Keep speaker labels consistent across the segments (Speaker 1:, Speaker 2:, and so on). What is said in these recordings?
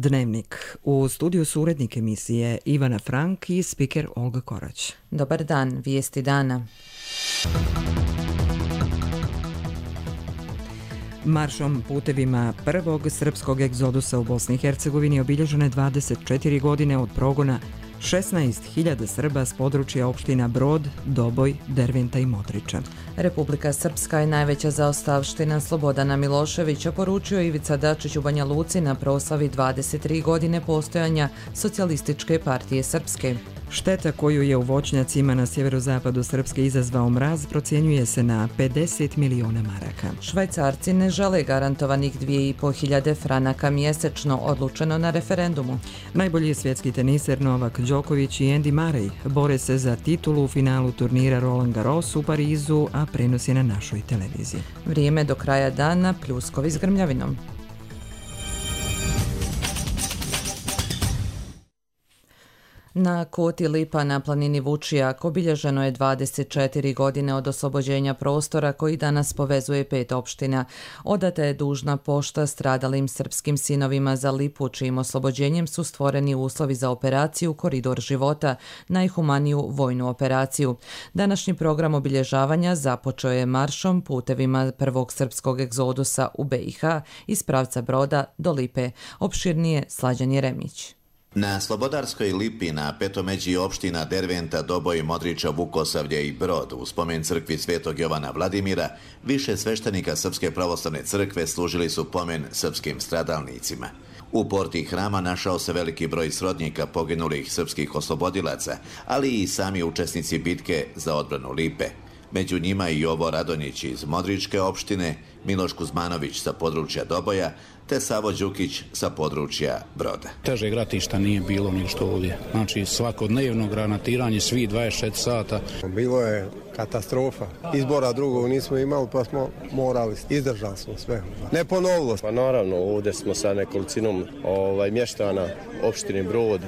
Speaker 1: Dnevnik. U studiju su urednik emisije Ivana Frank i spiker Olga Korać.
Speaker 2: Dobar dan, vijesti dana.
Speaker 1: Maršom putevima prvog srpskog egzodusa u Bosni i Hercegovini obilježene 24 godine od progona 16.000 Srba s područja opština Brod, Doboj, Derventa i Modriča.
Speaker 2: Republika Srpska je najveća zaostavština Slobodana Miloševića, poručio Ivica Dačić u Banja Luci na proslavi 23 godine postojanja Socijalističke partije Srpske.
Speaker 1: Šteta koju je u voćnjacima na sjeverozapadu Srpske izazvao mraz procjenjuje se na 50 miliona maraka.
Speaker 2: Švajcarci ne žele garantovanih 2.500 franaka mjesečno, odlučeno na referendumu.
Speaker 1: Najbolji svjetski teniser Novak Đoković i Andy Murray bore se za titulu u finalu turnira Roland Garros u Parizu, a prenos je na našoj televiziji.
Speaker 2: Vrijeme do kraja dana, pljuskovi s grmljavinom. Na Koti Lipa na planini Vučijak obilježeno je 24 godine od oslobođenja prostora koji danas povezuje 5 opština. Odata je dužna pošta stradalim srpskim sinovima za Lipu, čijim oslobođenjem su stvoreni uslovi za operaciju Koridor života, najhumaniju vojnu operaciju. Današnji program obilježavanja započeo je maršom putevima prvog srpskog egzodusa u BiH iz pravca Broda do Lipe. Opširnije Slađan Jeremić.
Speaker 3: Na Slobodarskoj Lipi na petomeđi opština Derventa, Doboj, Modriča, Vukosavlje i Brod u spomen crkvi Svetog Jovana Vladimira više sveštenika Srpske pravoslavne crkve služili su pomen srpskim stradalnicima. U porti hrama našao se veliki broj srodnika poginulih srpskih oslobodilaca, ali i sami učesnici bitke za odbranu Lipe. Među njima i Jovo Radonjić iz Modričke opštine, Miloš Kuzmanović sa područja Doboja, te Savo Đukić sa područja Broda.
Speaker 4: Težeg ratišta nije bilo ni što ovdje. Znači svakodnevno granatiranje, svi 24 sata.
Speaker 5: Bilo je katastrofa. Izbora drugog nismo imali, pa smo morali, izdržali smo sve. Ne ponovilo.
Speaker 6: Pa naravno, ovdje smo sa nekolicinom mještana opštine Brod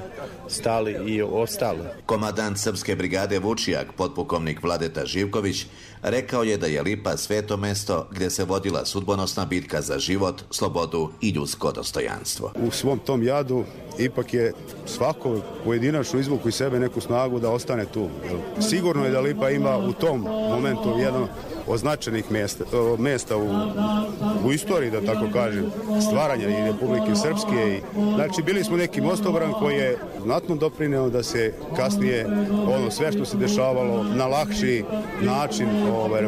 Speaker 6: stali i ostali.
Speaker 3: Komandant Srpske brigade Vučijak, potpukovnik Vladeta Živković, rekao je da je Lipa sveto mesto gdje se vodila sudbonosna bitka za život, slobodu i ljudsko dostojanstvo.
Speaker 7: U svom tom jadu ipak je svako pojedinačno izvuku iz sebe neku snagu da ostane tu. Sigurno je da Lipa ima u tom momentu jedno od značajnih mjesta u istoriji, da tako kažem, stvaranja i Republike Srpske. Znači, bili smo neki mostobran koji je znatno doprineo da se kasnije sve što se dešavalo na lakši način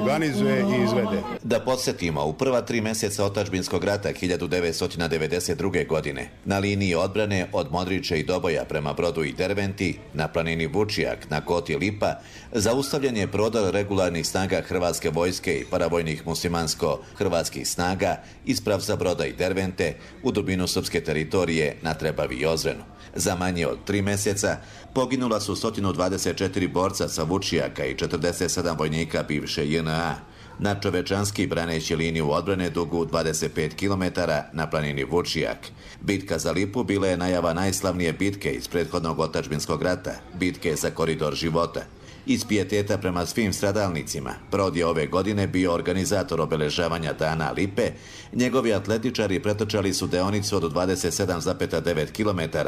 Speaker 7: organizuje i izvede.
Speaker 3: Da podsjetimo, u prva 3 mjeseca otadžbinskog rata 1992. godine na liniji odbrane od Modriče i Doboja prema Brodu i Derventi, na planini Vučijak, na Koti Lipa, zaustavljen je prodor regularnih snaga Hrvatske vojske i paravojnih muslimansko-hrvatskih snaga iz pravca Broda i Dervente u dubinu srpske teritorije na Trebavi i Ozrenu. Za manje od 3 mjeseca poginula su 124 borca sa Vučijaka i 47 vojnika bivše JNA, nadčovečanski braneći liniju odbrane dugu 25 km na planini Vučijak. Bitka za Lipu bila je najava najslavnije bitke iz prethodnog otadžbinskog rata, bitke za Koridor života. Iz pijeteta prema svim stradalnicima, Brod je ove godine bio organizator obeležavanja Dana Lipe. Njegovi atletičari pretrčali su deonicu od 27,9 km,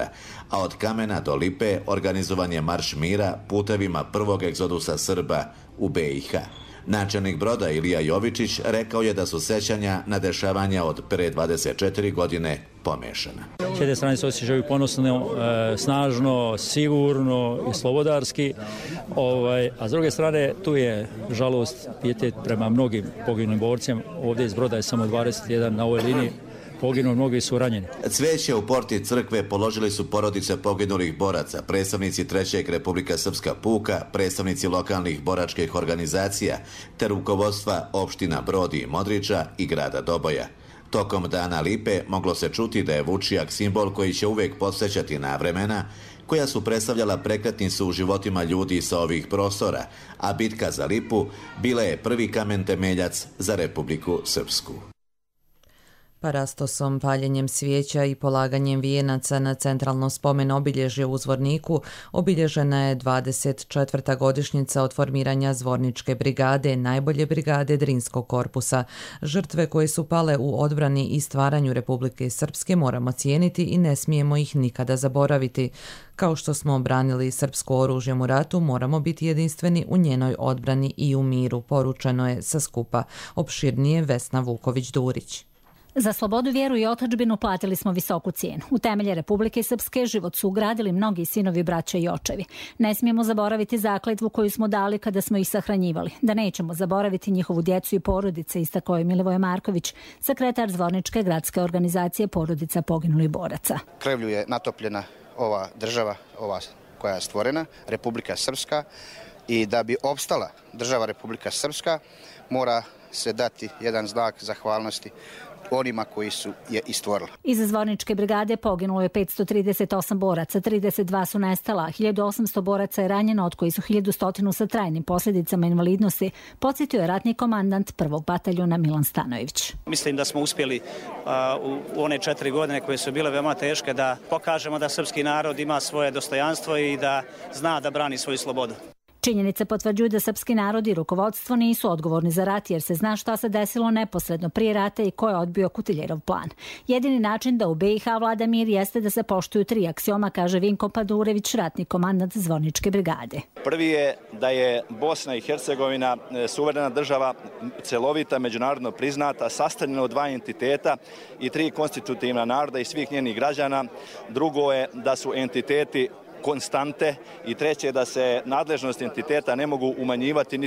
Speaker 3: a od Kamena do Lipe organizovan je Marš mira putevima prvog egzodusa Srba u BiH. Načelnik Broda Ilija Jovičić rekao je da su sećanja na dešavanja od pre 24 godine pomešana.
Speaker 8: S jedne strane se osjećaju ponosno, snažno, sigurno i slobodarski, a s druge strane tu je žalost, pijetet prema mnogim poginulim borcima. Ovdje iz Broda je samo 21 na ovoj liniji. Poginuo, mnogi su ranjeni.
Speaker 3: Cvijeće u porti crkve položili su porodice poginulih boraca, predstavnici 3. Republika Srpska puka, predstavnici lokalnih boračkih organizacija, te rukovodstva opština Brod i Modriča i grada Doboja. Tokom Dana Lipe moglo se čuti da je Vučijak simbol koji će uvijek podsjećati na vremena koja su predstavljala prekretnicu u životima ljudi sa ovih prostora, a bitka za Lipu bila je prvi kamen temeljac za Republiku Srpsku.
Speaker 2: Parastosom, paljenjem svijeća i polaganjem vijenaca na centralno spomen obilježje u Zvorniku obilježena je 24. godišnjica od formiranja Zvorničke brigade, najbolje brigade Drinskog korpusa. Žrtve koje su pale u odbrani i stvaranju Republike Srpske moramo cijeniti i ne smijemo ih nikada zaboraviti. Kao što smo obranili srpsko oružjem u ratu, moramo biti jedinstveni u njenoj odbrani i u miru, poručeno je sa skupa. Opširnije Vesna Vuković-Durić.
Speaker 9: Za slobodu, vjeru i otadžbinu platili smo visoku cijenu. U temelje Republike Srpske život su ugradili mnogi sinovi, braća i očevi. Ne smijemo zaboraviti zakletvu koju smo dali kada smo ih sahranjivali. Da nećemo zaboraviti njihovu djecu i porodice, istakao je Milivoje Marković, sekretar Zvorničke gradske organizacije porodica poginulih boraca.
Speaker 10: Krvlju je natopljena ova država, ova koja je stvorena, Republika Srpska, i da bi opstala država Republika Srpska mora se dati jedan znak zahvalnosti onima koji su je i stvorili.
Speaker 9: Iz Zvorničke brigade poginulo je 538 boraca, 32 su nestala, 1800 boraca je ranjeno, od koji su 1100 sa trajnim posljedicama invalidnosti, podsjetio je ratni komandant prvog bataljuna Milan Stanojević.
Speaker 11: Mislim da smo uspjeli u one 4 godine koje su bile veoma teške da pokažemo da srpski narod ima svoje dostojanstvo i da zna da brani svoju slobodu.
Speaker 9: Činjenice potvrđuju da srpski narod i rukovodstvo nisu odgovorni za rat, jer se zna šta se desilo neposredno prije rata i ko je odbio Kutiljerov plan. Jedini način da u BiH vlada mir jeste da se poštuju 3 aksioma, kaže Vinko Padurević, ratni komandant Zvorničke brigade.
Speaker 12: Prvi je da je Bosna i Hercegovina suverena država, celovita, međunarodno priznata, sastavljena od 2 entiteta i 3 konstitutivna naroda i svih njenih građana. Drugo je da su entiteti konstante i treće je da se nadležnost entiteta ne mogu umanjivati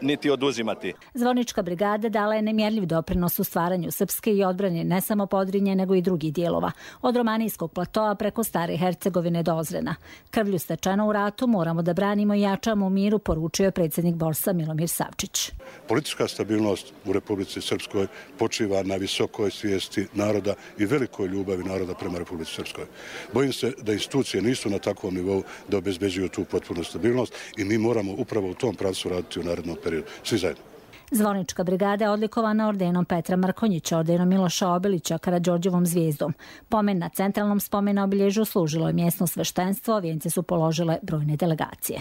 Speaker 12: niti oduzimati.
Speaker 9: Zvornička brigada dala je nemjerljiv doprinos u stvaranju Srpske i odbrani ne samo Podrinje, nego i drugih dijelova. Od Romanijskog platoa preko Stare Hercegovine do Ozrena. Krvlju stečeno u ratu moramo da branimo i jačamo u miru, poručio je predsjednik Borsa Milomir Savčić.
Speaker 13: Politička stabilnost u Republici Srpskoj počiva na visokoj svijesti naroda i velikoj ljubavi naroda prema Republici Srpskoj. Bojim se da institucije nisu na takvom nivou da obezbeđuju tu potpunu stabilnost i mi moramo upravo u tom pravcu raditi u narednom periodu. Svi zajedno.
Speaker 9: Zvornička brigada je odlikovana ordenom Petra Markonjića, ordenom Miloša Obilića, Karađorđevom zvijezdom. Pomen na centralnom spomenu obilježju služilo je mjesno sveštenstvo, vijence su položile brojne delegacije.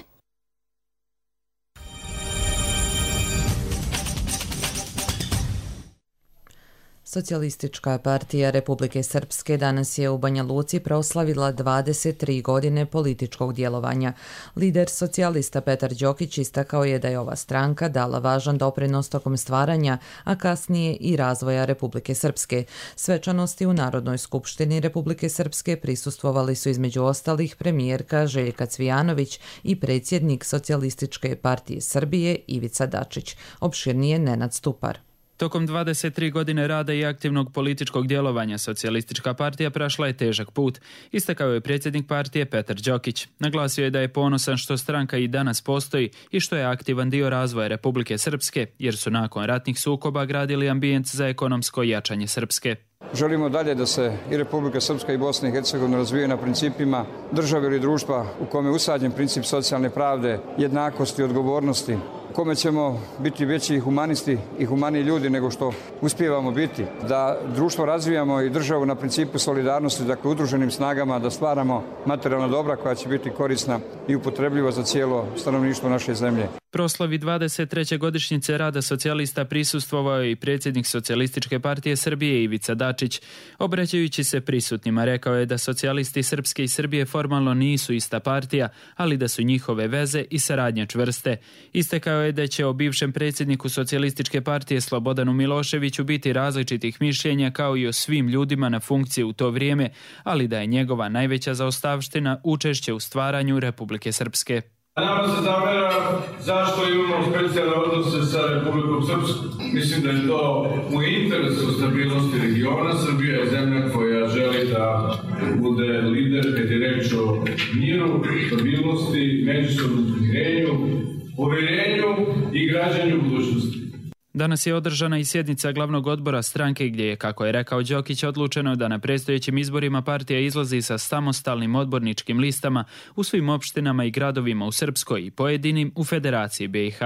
Speaker 2: Socijalistička partija Republike Srpske danas je u Banja Luci proslavila 23 godine političkog djelovanja. Lider socijalista Petar Đokić istakao je da je ova stranka dala važan doprinos tokom stvaranja, a kasnije i razvoja Republike Srpske. Svečanosti u Narodnoj skupštini Republike Srpske prisustvovali su između ostalih premijerka Željka Cvijanović i predsjednik Socijalističke partije Srbije Ivica Dačić. Opširnije Nenad Stupar.
Speaker 14: Tokom 23 godine rada i aktivnog političkog djelovanja Socijalistička partija prošla je težak put, istakao je predsjednik partije Petar Đokić. Naglasio je da je ponosan što stranka i danas postoji i što je aktivan dio razvoja Republike Srpske, jer su nakon ratnih sukoba gradili ambijent za ekonomsko jačanje Srpske.
Speaker 15: Želimo dalje da se i Republika Srpska i Bosna i Hercegovina razvijaju na principima države ili društva u kome je usađen princip socijalne pravde, jednakosti, odgovornosti, u kome ćemo biti veći humanisti i humaniji ljudi nego što uspijevamo biti. Da društvo razvijamo i državu na principu solidarnosti, dakle udruženim snagama da stvaramo materijalna dobra koja će biti korisna i upotrebljiva za cijelo stanovništvo naše zemlje.
Speaker 14: Proslavi 23. godišnjice rada socijalista prisustvovao je i predsjednik Socijalističke partije Srbije Ivica Dačić. Obraćajući se prisutnima rekao je da socijalisti Srpske i Srbije formalno nisu ista partija, ali da su njihove veze i saradnja čvrste. Istakao je da će o bivšem predsjedniku Socijalističke partije Slobodanu Miloševiću biti različitih mišljenja kao i o svim ljudima na funkciji u to vrijeme, ali da je njegova najveća zaostavština učešće u stvaranju Republike Srpske.
Speaker 16: Nama se zamera zašto imamo specijalne odnose sa Republikom Srpskom. Mislim da je to u interesu stabilnosti regiona. Srbija je zemlja koja želi da bude lider kad je reč o miru, stabilnosti, međusobnom pomirenju, povjerenju i građanju budućnosti.
Speaker 14: Danas je održana i sjednica glavnog odbora stranke gdje je, kako je rekao Đokić, odlučeno da na predstojećim izborima partija izlazi sa samostalnim odborničkim listama u svim opštinama i gradovima u Srpskoj i pojedinim u Federaciji BiH.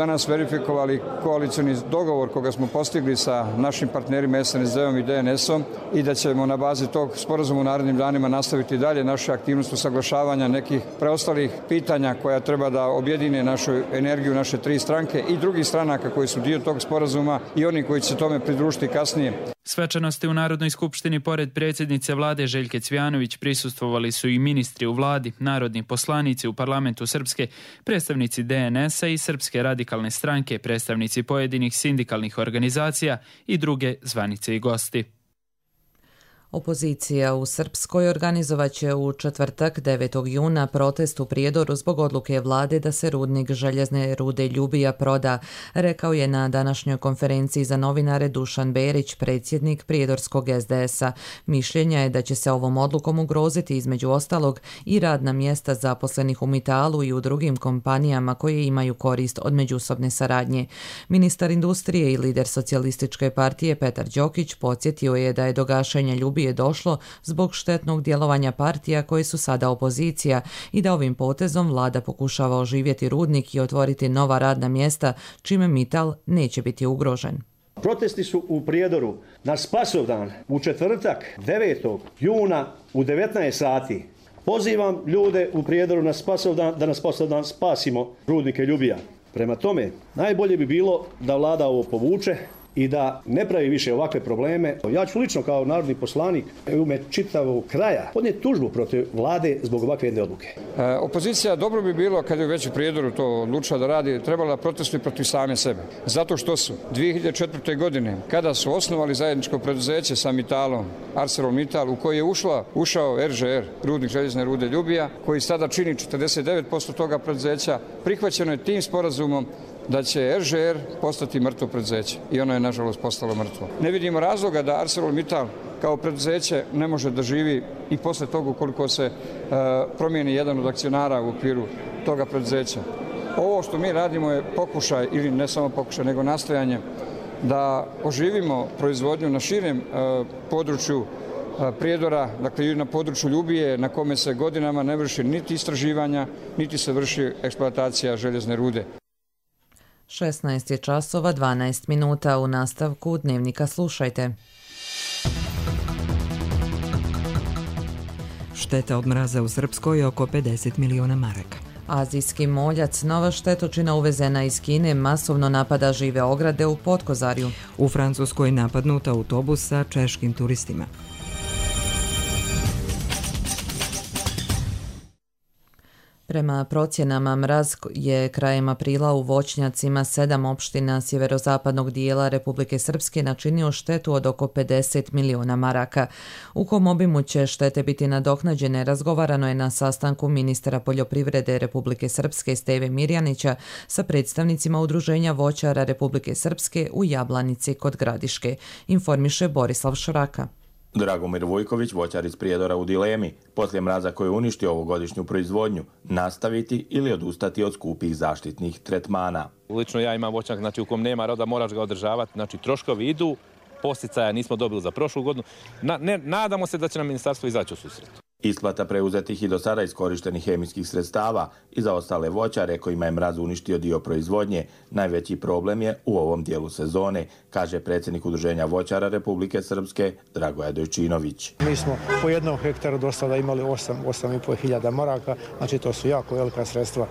Speaker 15: Danas verifikovali koalicioni dogovor koga smo postigli sa našim partnerima SNSD-om i DNS-om i da ćemo na bazi tog sporazuma u narednim danima nastaviti dalje naše aktivnosti usaglašavanja nekih preostalih pitanja koja treba da objedine našu energiju, naše tri stranke i drugih stranaka koji su dio tog sporazuma i oni koji će se tome pridružiti kasnije.
Speaker 14: Svečanosti u Narodnoj skupštini pored predsjednice vlade Željke Cvijanović prisustvovali su i ministri u vladi, narodni poslanici u parlamentu Srpske, predstavnici DNS-a i Srpske radikalne stranke, predstavnici pojedinih sindikalnih organizacija i druge zvanice i gosti.
Speaker 2: Opozicija u Srpskoj organizovaće u četvrtak 9. juna protest u Prijedoru zbog odluke vlade da se rudnik željezne rude Ljubija proda, rekao je na današnjoj konferenciji za novinare Dušan Berić, predsjednik Prijedorskog SDS-a. Mišljenja je da će se ovom odlukom ugroziti između ostalog i radna mjesta zaposlenih u Mitalu i u drugim kompanijama koje imaju korist od međusobne saradnje. Ministar industrije i lider socijalističke partije Petar Đokić podsjetio je da je do gašenja Ljubije je došlo zbog štetnog djelovanja partija koje su sada opozicija i da ovim potezom vlada pokušava oživjeti rudnik i otvoriti nova radna mjesta, čime Mital neće biti ugrožen.
Speaker 17: Protesti su u Prijedoru na Spasovdan u četvrtak 9. juna u 19 sati. Pozivam ljude u Prijedoru na Spasovdan da na Spasovdan spasimo rudnike Ljubija. Prema tome, najbolje bi bilo da vlada ovo povuče i da ne pravi više ovakve probleme. Ja ću lično kao narodni poslanik u ime čitavog kraja podnijeti tužbu protiv vlade zbog ovakve jedne odluke.
Speaker 15: Opozicija dobro bi bilo, kad je već u Prijedoru to odlučila da radi, trebala da protestuje protiv same sebe. Zato što su 2004. godine, kada su osnovali zajedničko preduzeće sa Mitalom, ArcelorMittal, u koji je ušao RŽR, rudnik željezne rude Ljubija, koji sada čini 49% toga preduzeća, prihvaćeno je tim sporazumom da će RŽR postati mrtvo preduzeće i ono je nažalost postalo mrtvo. Ne vidimo razloga da ArcelorMittal kao preduzeće ne može da živi i posle toga ukoliko se promijeni jedan od akcionara u okviru toga preduzeća. Ovo što mi radimo je pokušaj, ili ne samo pokušaj, nego nastojanje da oživimo proizvodnju na širem području Prijedora, dakle i na području Ljubije, na kome se godinama ne vrši niti istraživanja, niti se vrši eksploatacija željezne rude.
Speaker 2: 16 je časova 12 minuta. U nastavku Dnevnika slušajte.
Speaker 1: Šteta od mraza u Srpskoj je oko 50 miliona maraka.
Speaker 2: Azijski moljac, nova štetočina uvezena iz Kine, masovno napada žive ograde u Potkozarju.
Speaker 1: U Francuskoj napadnut autobus sa češkim turistima.
Speaker 2: Prema procjenama, mraz je krajem aprila u voćnjacima 7 opština sjeverozapadnog dijela Republike Srpske načinio štetu od oko 50 miliona maraka. U kom obimu će štete biti nadoknađene, razgovarano je na sastanku ministra poljoprivrede Republike Srpske Steve Mirjanića sa predstavnicima Udruženja voćara Republike Srpske u Jablanici kod Gradiške, informiše Borislav Šraka.
Speaker 18: Dragomir Vujković, voćar iz Prijedora, u dilemi, poslije mraza koji je uništio ovogodišnju proizvodnju, nastaviti ili odustati od skupih zaštitnih tretmana.
Speaker 19: Lično ja imam voćnjak, znači u kom nema roda, moraš ga održavati, znači troškovi idu, posticaja nismo dobili za prošlu godinu. Nadamo se da će nam ministarstvo izaći u susret.
Speaker 18: Isplata preuzetih i do sada iskorištenih hemijskih sredstava i za ostale voćare kojima je mraz uništio dio proizvodnje, najveći problem je u ovom dijelu sezone, kaže predsjednik Udruženja voćara Republike Srpske Dragoje Dojčinović.
Speaker 20: Mi smo po jednom hektaru do sada imali 8,5 hiljada maraka, znači to su jako velika sredstva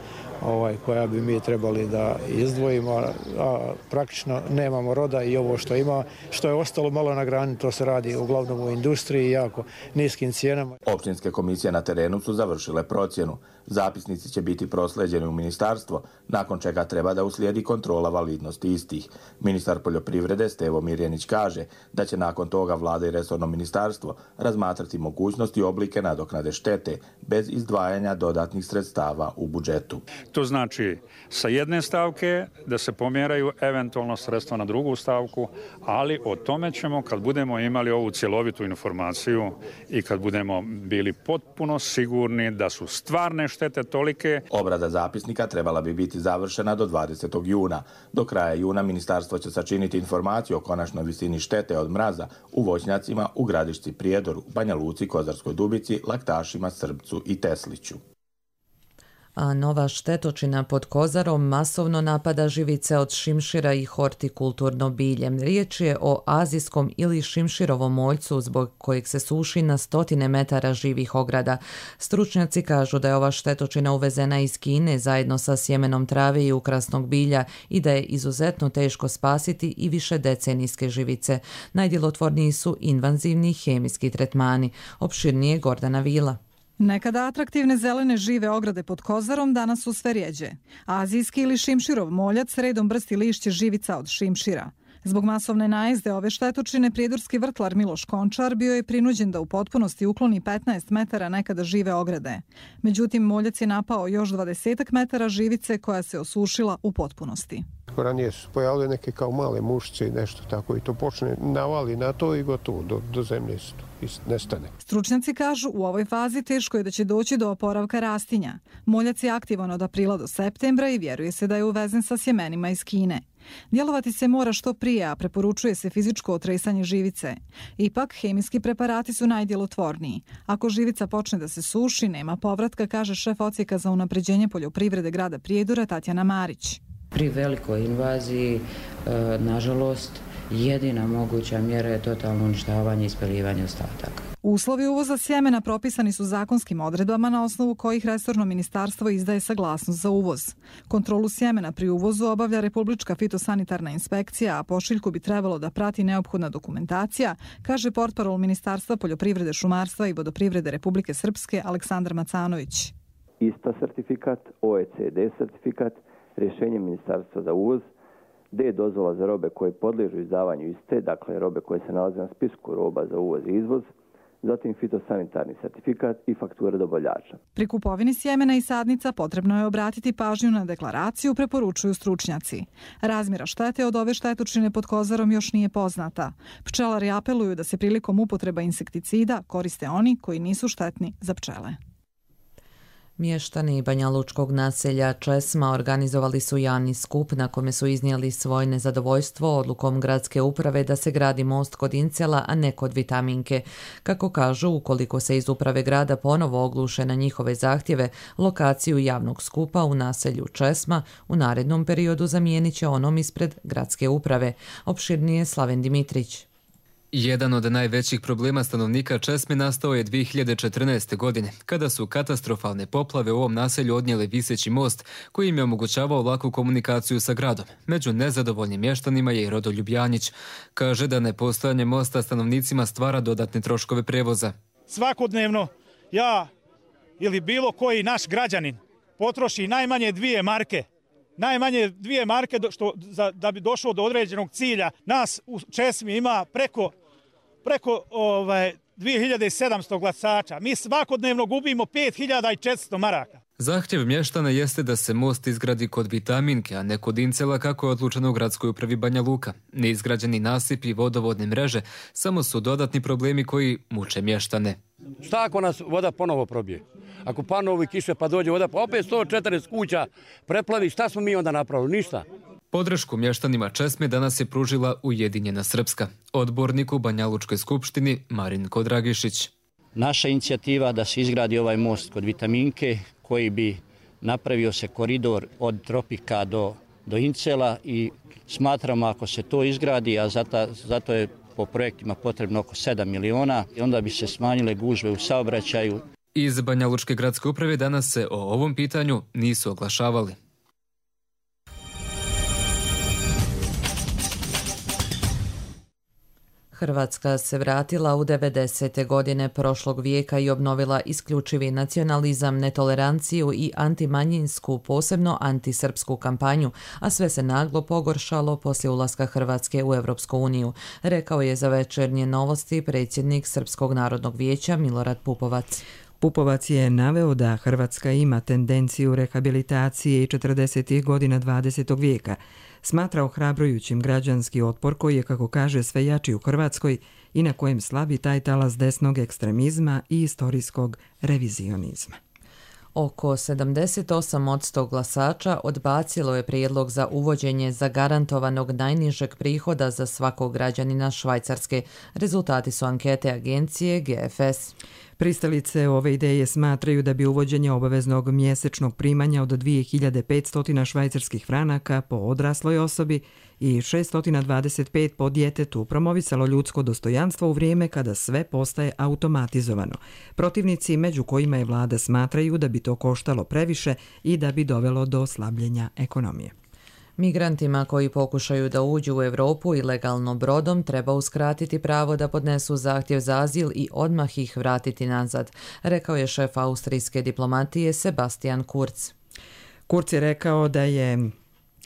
Speaker 20: koja bi mi trebali da izdvojimo, a praktično nemamo roda i ovo što ima, što je ostalo malo na grani, to se radi uglavnom u industriji i jako niskim cijenama.
Speaker 18: Općinske komisije na terenu su završile procjenu. Zapisnici će biti prosleđeni u ministarstvo, nakon čega treba da uslijedi kontrola validnosti istih. Ministar poljoprivrede Stevo Mirjanić kaže da će nakon toga vlada i resorno ministarstvo razmatrati mogućnosti i oblike nadoknade štete bez izdvajanja dodatnih sredstava u budžetu.
Speaker 21: To znači sa jedne stavke da se pomjeraju eventualno sredstva na drugu stavku, ali o tome ćemo kad budemo imali ovu cjelovitu informaciju i kad budemo bili potpuno sigurni da su stvarne štete tolike.
Speaker 18: Obrada zapisnika trebala bi biti završena do 20. juna. Do kraja juna ministarstvo će sačiniti informaciju o konačnoj visini štete od mraza u voćnjacima u Gradišci, Prijedoru, Banja Luci, Kozarskoj Dubici, Laktašima, Srbcu i Tesliću.
Speaker 2: A nova štetočina pod Kozarom masovno napada živice od šimšira i hortikulturno bilje. Riječ je o azijskom ili šimširovom moljcu zbog kojeg se suši na 100 metara živih ograda. Stručnjaci kažu da je ova štetočina uvezena iz Kine zajedno sa sjemenom trave i ukrasnog bilja i da je izuzetno teško spasiti i više decenijske živice. Najdjelotvorniji su invazivni hemijski tretmani. Opširnije Gordana Vila.
Speaker 4: Nekada atraktivne zelene žive ograde pod Kozarom danas su sve rjeđe. Azijski ili šimširov moljac redom brsti lišće živica od šimšira. Zbog masovne najezde ove štetočine prijedorski vrtlar Miloš Končar bio je prinuđen da u potpunosti ukloni 15 metara nekada žive ograde. Međutim, moljac je napao još 20 metara živice koja se osušila u potpunosti.
Speaker 5: Ranije su pojavile neke kao male mušice i nešto tako i to počne navali na to i gotovo, do zemlje se to nestane.
Speaker 4: Stručnjaci kažu u ovoj fazi teško je da će doći do oporavka rastinja. Moljac je aktivan od aprila do septembra i vjeruje se da je uvezen sa sjemenima iz Kine. Djelovati se mora što prije, a preporučuje se fizičko otresanje živice. Ipak, hemijski preparati su najdjelotvorniji. Ako živica počne da se suši, nema povratka, kaže šef odsjeka za unapređenje poljoprivrede grada Prijedora Tatjana Marić.
Speaker 22: Pri velikoj invaziji, nažalost, jedina moguća mjera je totalno uništavanje i spaljivanje ostataka.
Speaker 4: Uslovi uvoza sjemena propisani su zakonskim odredbama na osnovu kojih resorno ministarstvo izdaje saglasnost za uvoz. Kontrolu sjemena pri uvozu obavlja Republička fitosanitarna inspekcija, a pošiljku bi trebalo da prati neophodna dokumentacija, kaže portparol Ministarstva poljoprivrede, šumarstva i vodoprivrede Republike Srpske Aleksandar Macanović.
Speaker 23: ISTA sertifikat, OECD sertifikat, rješenje Ministarstva za uvoz, D dozvola za robe koje podliježu izdavanju iste, dakle robe koje se nalaze na spisku roba za uvoz i izvoz, zatim fitosanitarni sertifikat i faktura dobavljača.
Speaker 4: Pri kupovini sjemena i sadnica potrebno je obratiti pažnju na deklaraciju, preporučuju stručnjaci. Razmjera štete od ove štetočine pod Kozarom još nije poznata. Pčelari apeluju da se prilikom upotreba insekticida koriste oni koji nisu štetni za pčele.
Speaker 2: Mještani banjalučkog naselja Česma organizovali su javni skup na kome su iznijeli svoje nezadovoljstvo odlukom gradske uprave da se gradi most kod Incela, a ne kod Vitaminke. Kako kažu, ukoliko se iz uprave grada ponovo ogluše na njihove zahtjeve, lokaciju javnog skupa u naselju Česma u narednom periodu zamijenit će onom ispred gradske uprave. Opširnije Slaven Dimitrić.
Speaker 24: Jedan od najvećih problema stanovnika Česme nastao je 2014. godine, kada su katastrofalne poplave u ovom naselju odnijele viseći most koji im je omogućavao laku komunikaciju sa gradom. Među nezadovoljnim mještanima je i Rodoljub Janjić. Kaže da nepostojanje mosta stanovnicima stvara dodatne troškove prevoza.
Speaker 25: Svakodnevno ja ili bilo koji naš građanin potroši najmanje 2 marke. Najmanje 2 marke da bi došlo do određenog cilja. Nas u Česmi ima preko 2700 glasača. Mi svakodnevno gubimo 5400 maraka.
Speaker 24: Zahtjev mještana jeste da se most izgradi kod Vitaminke, a ne kod Incela kako je odlučeno u gradskoj upravi Banja Luka. Neizgrađeni nasipi i vodovodne mreže samo su dodatni problemi koji muče mještane.
Speaker 26: Šta ako nas voda ponovo probije? Ako panovi kiše pa dođe voda, pa opet 140 kuća preplavi, šta smo mi onda napravili? Ništa.
Speaker 24: Podršku mještanima Česme danas je pružila Ujedinjena Srpska. Odbornik u Banjalučkoj skupštini Marinko Dragišić.
Speaker 27: Naša inicijativa da se izgradi ovaj most kod Vitaminke koji bi napravio se koridor od Tropika do Incela i smatramo ako se to izgradi, a zato je po projektima potrebno oko 7 miliona, i onda bi se smanjile gužve u saobraćaju.
Speaker 24: Iz Banjalučke gradske uprave danas se o ovom pitanju nisu oglašavali.
Speaker 2: Hrvatska se vratila u 90. godine prošlog vijeka i obnovila isključivi nacionalizam, netoleranciju i antimanjinsku, posebno antisrpsku kampanju, a sve se naglo pogoršalo poslije ulaska Hrvatske u Europsku uniju, rekao je za Večernje novosti predsjednik Srpskog narodnog vijeća Milorad Pupovac.
Speaker 1: Pupovac je naveo da Hrvatska ima tendenciju rehabilitacije i 40. godina 20. vijeka. Smatra ohrabrujućim građanski otpor koji je, kako kaže, sve jači u Hrvatskoj i na kojem slabi taj talas desnog ekstremizma i istorijskog revizionizma.
Speaker 2: Oko 78% glasača odbacilo je prijedlog za uvođenje zagarantovanog najnižeg prihoda za svakog građanina Švajcarske. Rezultati su ankete agencije GFS.
Speaker 1: Pristalice ove ideje smatraju da bi uvođenje obaveznog mjesečnog primanja od 2500 švajcarskih franaka po odrasloj osobi i 625 po djetetu promovisalo ljudsko dostojanstvo u vrijeme kada sve postaje automatizovano. Protivnici, među kojima je vlada, smatraju da bi to koštalo previše i da bi dovelo do slabljenja ekonomije.
Speaker 2: Migrantima koji pokušaju da uđu u Europu ilegalno brodom treba uskratiti pravo da podnesu zahtjev za azil i odmah ih vratiti nazad, rekao je šef austrijske diplomatije Sebastian Kurz.
Speaker 1: Kurz je rekao da je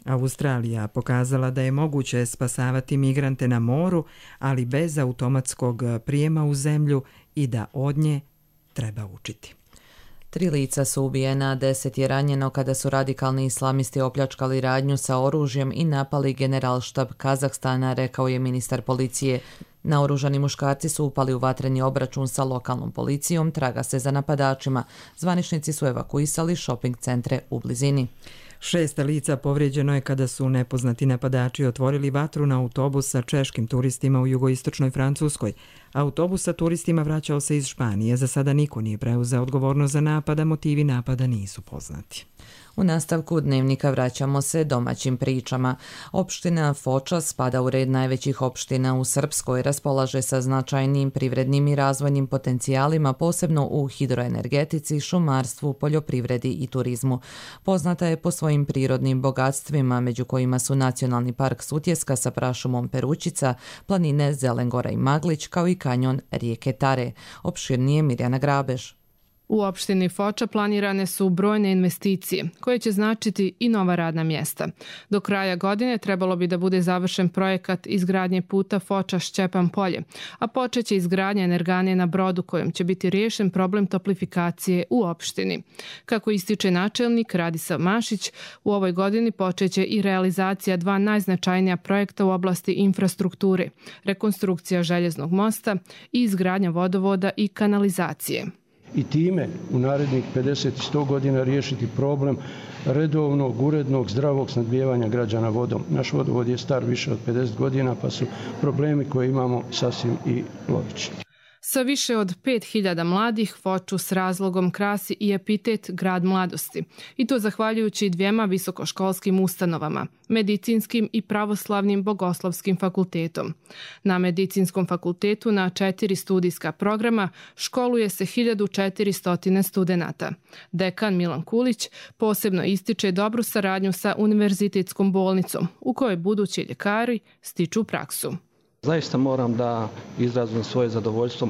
Speaker 1: Australija pokazala da je moguće spasavati migrante na moru, ali bez automatskog prijema u zemlju i da od nje treba učiti.
Speaker 2: 3 lica su ubijena, 10 je ranjeno kada su radikalni islamisti opljačkali radnju sa oružjem i napali generalštab Kazahstana, rekao je ministar policije. Naoružani muškarci su upali u vatreni obračun sa lokalnom policijom, traga se za napadačima. Zvaničnici su evakuisali shopping centre u blizini.
Speaker 1: 6 lica povrijeđeno je kada su nepoznati napadači otvorili vatru na autobus sa češkim turistima u jugoistočnoj Francuskoj. Autobus sa turistima vraćao se iz Španije. Za sada niko nije preuzeo odgovornost za napad, a motivi napada nisu poznati.
Speaker 2: U nastavku dnevnika vraćamo se domaćim pričama. Opština Foča spada u red najvećih opština u Srpskoj, raspolaže sa značajnim privrednim i razvojnim potencijalima, posebno u hidroenergetici, šumarstvu, poljoprivredi i turizmu. Poznata je po svojim prirodnim bogatstvima, među kojima su Nacionalni park Sutjeska sa prašumom Perućica, planine Zelengora i Maglić, kao i kanjon rijeke Tare. Opširnije Mirjana Grabež.
Speaker 3: U opštini Foča planirane su brojne investicije koje će značiti i nova radna mjesta. Do kraja godine trebalo bi da bude završen projekat izgradnje puta Foča-Šćepan polje, a počeće izgradnja energane na brodu kojom će biti riješen problem toplifikacije u opštini. Kako ističe načelnik Radisav Mašić, u ovoj godini počeće i realizacija 2 najznačajnija projekta u oblasti infrastrukture, rekonstrukcija željeznog mosta i izgradnja vodovoda i kanalizacije.
Speaker 6: I time u narednih 50 i 100 godina riješiti problem redovnog, urednog, zdravog snabdijevanja građana vodom. Naš vodovod je star više od 50 godina, pa su problemi koje imamo sasvim i logični.
Speaker 3: Sa više od 5000 mladih Foču s razlogom krasi i epitet Grad mladosti. I to zahvaljujući 2 visokoškolskim ustanovama, Medicinskim i Pravoslavnim bogoslovskim fakultetom. Na Medicinskom fakultetu na 4 studijska programa školuje se 1400 studenata. Dekan Milan Kulić posebno ističe dobru saradnju sa Univerzitetskom bolnicom, u kojoj budući ljekari stiču praksu.
Speaker 7: Zaista moram da izrazim svoje zadovoljstvo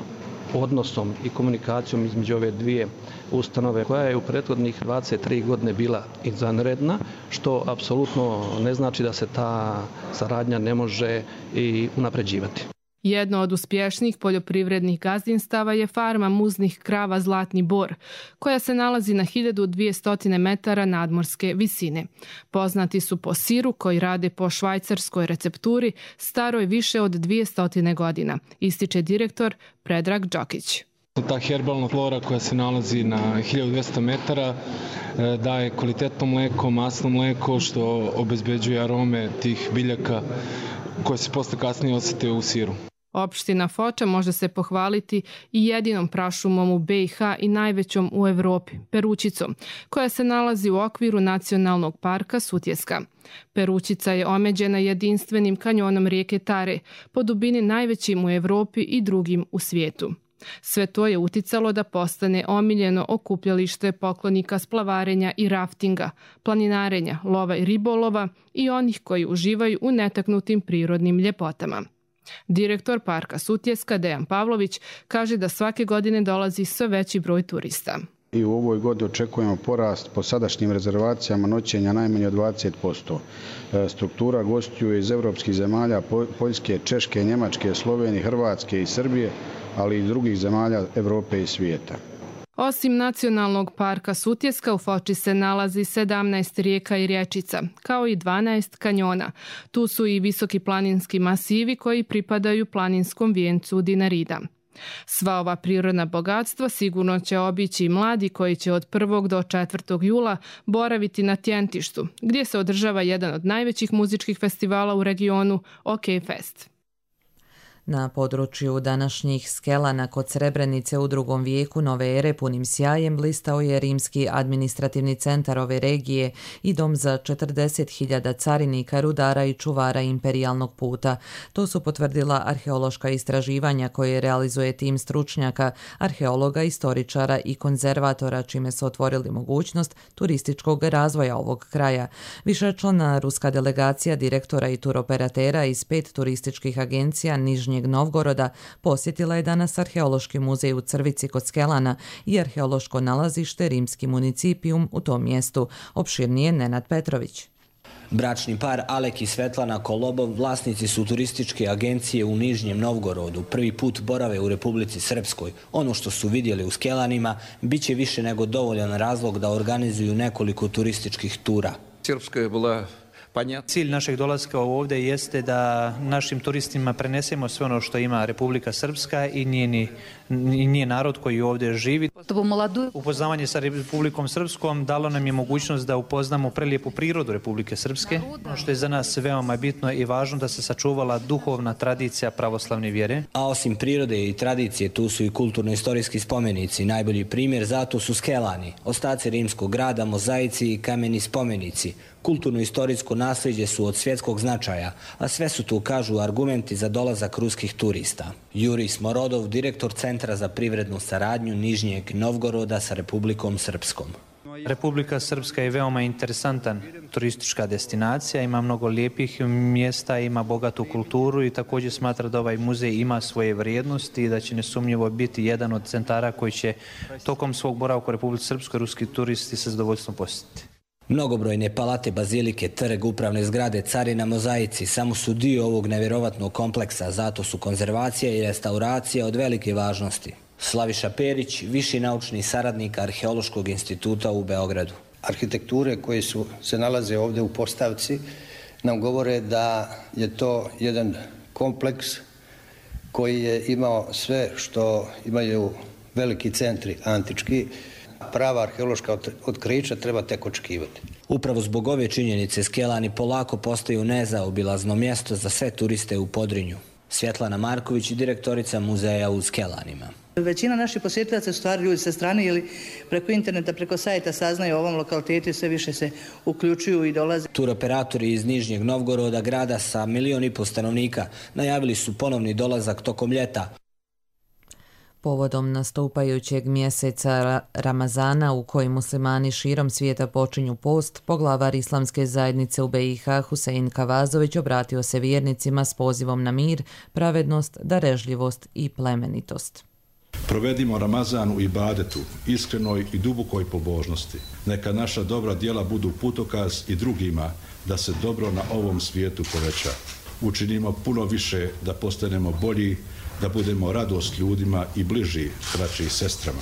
Speaker 7: odnosom i komunikacijom između ove 2 ustanove koja je u prethodnih 23 godine bila izvanredna, što apsolutno ne znači da se ta saradnja ne može i unapređivati.
Speaker 3: Jedno od uspješnijih poljoprivrednih gazdinstava je farma muznih krava Zlatni Bor, koja se nalazi na 1200 metara nadmorske visine. Poznati su po siru koji rade po švajcarskoj recepturi staroj više od 200 godina, ističe direktor Predrag Đokić.
Speaker 8: Ta herbalna flora koja se nalazi na 1200 metara daje kvalitetno mlijeko, masno mlijeko, što obezbeđuje arome tih biljaka koje se posle kasnije osjete u siru.
Speaker 3: Opština Foča može se pohvaliti i jedinom prašumom u BiH i najvećom u Evropi, Perućicom, koja se nalazi u okviru Nacionalnog parka Sutjeska. Perućica je omeđena jedinstvenim kanjonom rijeke Tare, po dubini najvećim u Evropi i drugim u svijetu. Sve to je uticalo da postane omiljeno okupljalište poklonika splavarenja i raftinga, planinarenja, lova i ribolova i onih koji uživaju u netaknutim prirodnim ljepotama. Direktor parka Sutjeska Dejan Pavlović kaže da svake godine dolazi sve veći broj turista.
Speaker 10: I u ovoj godini očekujemo porast po sadašnjim rezervacijama noćenja najmanje od 20%. Struktura gostiju iz evropskih zemalja, Poljske, Češke, Njemačke, Slovenije, Hrvatske i Srbije, ali i drugih zemalja Evrope i svijeta.
Speaker 3: Osim Nacionalnog parka Sutjeska, u Foči se nalazi 17 rijeka i rječica, kao i 12 kanjona. Tu su i visoki planinski masivi koji pripadaju planinskom vijencu Dinarida. Sva ova prirodna bogatstva sigurno će obići mladi koji će od 1. do 4. jula boraviti na Tjentištu, gdje se održava jedan od najvećih muzičkih festivala u regionu, OK Fest.
Speaker 2: Na području današnjih Skelana kod Srebrenice u 2. vijeku nove ere punim sjajem blistao je rimski administrativni centar ove regije i dom za 40.000 carinika, rudara i čuvara imperijalnog puta. To su potvrdila arheološka istraživanja koje realizuje tim stručnjaka, arheologa, istoričara i konzervatora, čime su otvorili mogućnost turističkog razvoja ovog kraja. Višečlana ruska delegacija direktora i turoperatera iz 5 turističkih agencija Nižnjeg Novgoroda posjetila je danas arheološki muzej u Crvici kod Skelana i arheološko nalazište Rimski municipijum u tom mjestu. Opširnije Nenad Petrović.
Speaker 9: Bračni par Alek i Svetlana Kolobov vlasnici su turističke agencije u Nižnjem Novgorodu. Prvi put borave u Republici Srpskoj. Ono što su vidjeli u Skelanima bit će više nego dovoljan razlog da organizuju nekoliko turističkih tura.
Speaker 11: Srpska je bila Cilj našeg dolaska ovdje jeste da našim turistima prenesemo sve ono što ima Republika Srpska i nije narod koji ovdje živi. Upoznavanje sa Republikom Srpskom dalo nam je mogućnost da upoznamo prelijepu prirodu Republike Srpske, ono što je za nas veoma bitno i važno da se sačuvala duhovna tradicija pravoslavne vjere.
Speaker 9: A osim prirode i tradicije, tu su i kulturno-istorijski spomenici. Najbolji primjer zato su Skelani, ostaci rimskog grada, mozaici i kameni spomenici. Kulturno-istorijsko nasljeđe su od svjetskog značaja, a sve su tu, kažu, argumenti za dolazak ruskih turista. Jurij Smorodov, direktor Centra za privrednu saradnju Nižnjeg Novgoroda sa Republikom Srpskom.
Speaker 11: Republika Srpska je veoma interesantan turistička destinacija, ima mnogo lijepih mjesta, ima bogatu kulturu i također smatra da ovaj muzej ima svoje vrijednosti i da će nesumnjivo biti jedan od centara koji će tokom svog boravka u Republici Srpskoj ruski turisti sa zadovoljstvom posjetiti.
Speaker 9: Mnogobrojne palate, bazilike, trg, upravne zgrade, carina, mozaici samo su dio ovog nevjerovatnog kompleksa, zato su konzervacija i restauracija od velike važnosti. Slaviša Perić, viši naučni saradnik Arheološkog instituta u Beogradu.
Speaker 12: Arhitekture koje se nalaze ovdje u postavci nam govore da je to jedan kompleks koji je imao sve što imaju veliki centri antički. Prava arheološka otkrića treba tek očekivati.
Speaker 9: Upravo zbog ove činjenice Skelani polako postaju nezaobilazno mjesto za sve turiste u Podrinju. Svjetlana Marković, direktorica muzeja u Skelanima.
Speaker 13: Većina naših posjetilaca su stvari ljudi sa strane ili preko interneta, preko sajta saznaju o ovom lokalitetu i sve više se uključuju i dolaze.
Speaker 9: Turoperatori iz Nižnjeg Novgoroda, grada sa 1,5 miliona stanovnika, najavili su ponovni dolazak tokom ljeta.
Speaker 2: Povodom nastupajućeg mjeseca Ramazana u kojem muslimani širom svijeta počinju post, poglavar Islamske zajednice u BiH Husein Kavazović obratio se vjernicima s pozivom na mir, pravednost, darežljivost i plemenitost.
Speaker 14: Provedimo Ramazan u ibadetu, iskrenoj i dubokoj pobožnosti. Neka naša dobra djela budu putokaz i drugima da se dobro na ovom svijetu poveća. Učinimo puno više da postanemo bolji, da budemo radost ljudima i bliži braći i sestrama.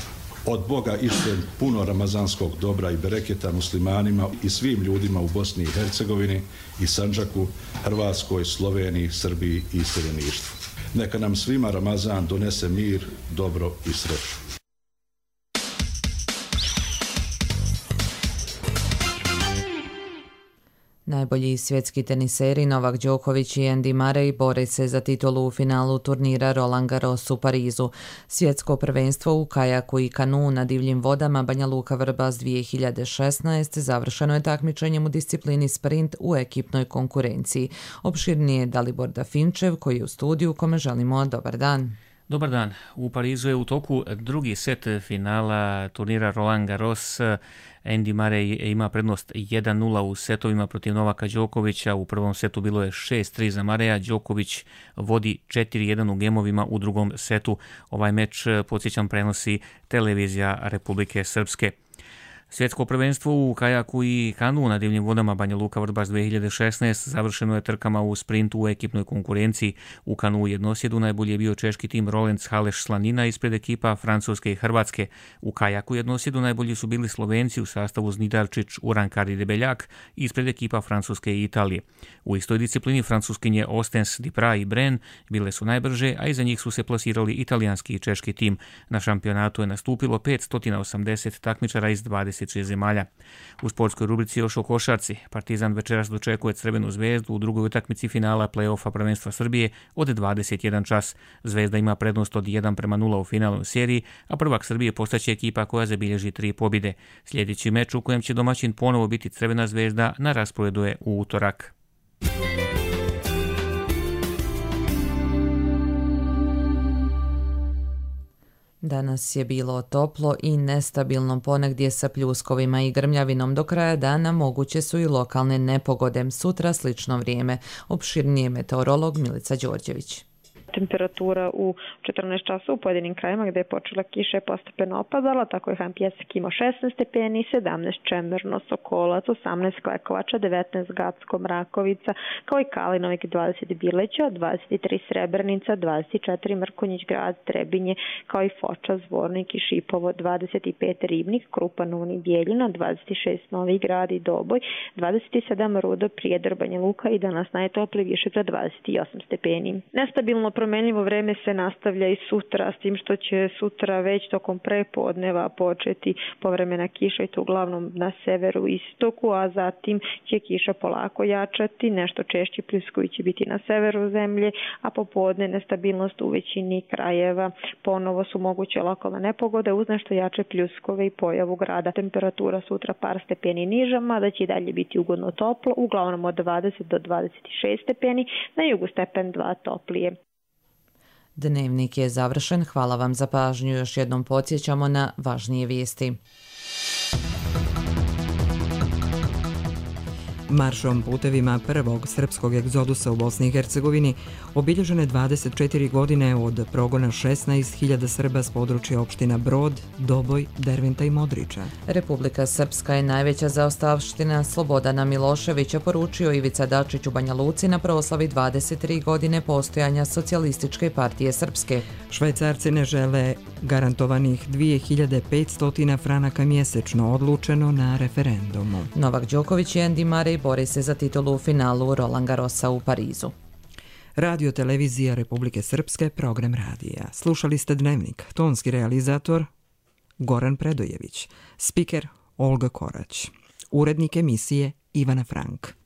Speaker 14: Od Boga ištem puno ramazanskog dobra i bereketa muslimanima i svim ljudima u Bosni i Hercegovini i Sandžaku, Hrvatskoj, Sloveniji, Srbiji i iseljeništvu. Neka nam svima Ramazan donese mir, dobro i sreću.
Speaker 2: Najbolji svjetski teniseri Novak Đoković i Andy Murray bore se za titulu u finalu turnira Roland Garros u Parizu. Svjetsko prvenstvo u kajaku i kanu na divljim vodama Banja Luka Vrbas 2016 završeno je takmičenjem u disciplini sprint u ekipnoj konkurenciji. Opširnije Dalibor Dafinčev koji je u studiju kome želimo dobar dan.
Speaker 16: Dobar dan. U Parizu je u toku drugi set finala turnira Roland Garros. Andy Murray ima prednost 1-0 u setovima protiv Novaka Đokovića. U prvom setu bilo je 6-3 za Murraya. Đoković vodi 4-1 u gemovima u drugom setu. Ovaj meč, podsjećam, prenosi televizija Republike Srpske. Svjetsko prvenstvo u kajaku i kanu na divljim vodama Banja Luka Vrbas 2016 završeno je trkama u sprintu u ekipnoj konkurenciji. U kanu jednosjedu najbolji je bio češki tim Rolenc Haleš Slanina ispred ekipa Francuske i Hrvatske. U kajaku jednosjedu najbolji su bili Slovenci u sastavu Znidarčić, Urankar i Debeljak ispred ekipa Francuske i Italije. U istoj disciplini Francuskinje Ostens, Duprat i Bren bile su najbrže, a iza njih su se plasirali italijanski i češki tim. Na šampionatu je nastupilo 580 takmičara iz 20 20 zemalja. U sportskoj rubrici još o košarci. Partizan večeras dočekuje Crvenu zvezdu u drugoj utakmici finala play-offa prvenstva Srbije od 21 čas. Zvezda ima prednost od 1:0 u finalnoj seriji, a prvak Srbije postaće ekipa koja zabilježi 3 pobjede. Sljedeći meč u kojem će domaćin ponovo biti Crvena zvezda na rasporedu je u utorak.
Speaker 2: Danas je bilo toplo i nestabilno, ponegdje sa pljuskovima i grmljavinom. Do kraja dana moguće su i lokalne nepogode. Sutra slično vrijeme. Opširnije meteorolog Milica Đorđević.
Speaker 5: Temperatura u 14 časa u pojedinim krajima gdje je počela kiša je postepeno opadala, tako je Han Pjesak imao 16 stepeni, 17 Čemerno, Sokolac, 18 Klekovača, 19 Gacko, Mrakovica, kao i Kalinovik 20 Bileća, 23 Srebrenica, 24 Mrkonjić Grad, Trebinje, kao i Foča, Zvornik i Šipovo, 25 Ribnik, Krupan, Uni, Bijeljina, 26 Novi Grad i Doboj, 27 Rudo, Prijedor, Banja Luka i danas najtoplije više za 28 stepeni. Nestabilno promenljivo vreme se nastavlja i sutra, s tim što će sutra već tokom prepodneva početi povremena kiša i to uglavnom na severu i istoku, a zatim će kiša polako jačati, nešto češći pljuskovi će biti na severu zemlje, a popodne nestabilnost u većini krajeva. Ponovo su moguće lokalne nepogode uz nešto jače pljuskove i pojavu grada. Temperatura sutra par stepeni niža, mada će i dalje biti ugodno toplo, uglavnom od 20 do 26 stepeni, na jugu stepen 2 toplije.
Speaker 2: Dnevnik je završen. Hvala vam za pažnju. Još jednom podsjećamo na važnije vijesti.
Speaker 1: Maršom putevima prvog srpskog egzodusa u Bosni i Hercegovini obilježene 24 godine od progona 16.000 Srba s područja opština Brod, Doboj, Derventa i Modriča.
Speaker 2: Republika Srpska je najveća zaostavština Slobodana Miloševića, poručio Ivica Dačić u Banja Luci na proslavi 23 godine postojanja Socijalističke partije Srpske.
Speaker 1: Švajcarci ne žele garantovanih 2500 franaka mjesečno, odlučeno na referendumu.
Speaker 2: Novak Đoković i Andy Murray bori se za titulu u finalu Roland Garrosa u Parizu.
Speaker 1: Radio televizija Republike Srpske, program radija. Slušali ste Dnevnik, tonski realizator Goran Predojević, spiker Olga Korać, urednik emisije Ivana Frank.